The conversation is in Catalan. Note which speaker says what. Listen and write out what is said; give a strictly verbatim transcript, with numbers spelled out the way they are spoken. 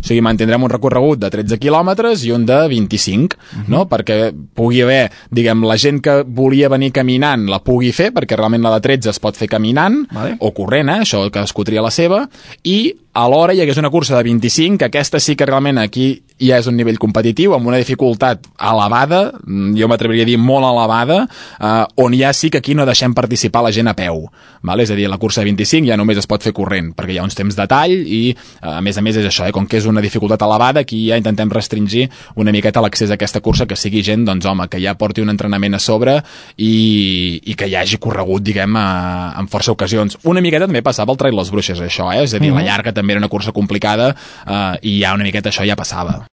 Speaker 1: sigui, mantindrem un recorregut de tretze quilòmetres i un de vint-i-cinc, uh-huh. no? Perquè pugui haver, diguem, la gent que volia venir caminant la pugui fer, perquè realment la de tretze es pot fer caminant,
Speaker 2: vale.
Speaker 1: o corrent, eh? Això cadascú tria la seva, i alhora hi hagués una cursa de vint-i-cinc, que aquesta sí que realment aquí ja és un nivell competitiu, amb una dificultat elevada, jo m'atreviria a dir molt elevada, eh, on ja sí que aquí no deixem participar la gent a peu, vale? És a dir, la cursa de vint-i-cinc ja només es pot fer corrent, perquè hi ha uns temps de tall i, a més a més, és això, eh? Com que és una dificultat elevada, aquí ja intentem restringir una miqueta l'accés a aquesta cursa, que sigui gent, doncs home, que ja porti un entrenament a sobre i, i que ja hagi corregut, diguem, a, en força ocasions. Una miqueta també passava al Trail Les Bruixes, això, eh? És a dir, mm-hmm. la llarga també era una cursa complicada, eh, i ja una miqueta això ja passava.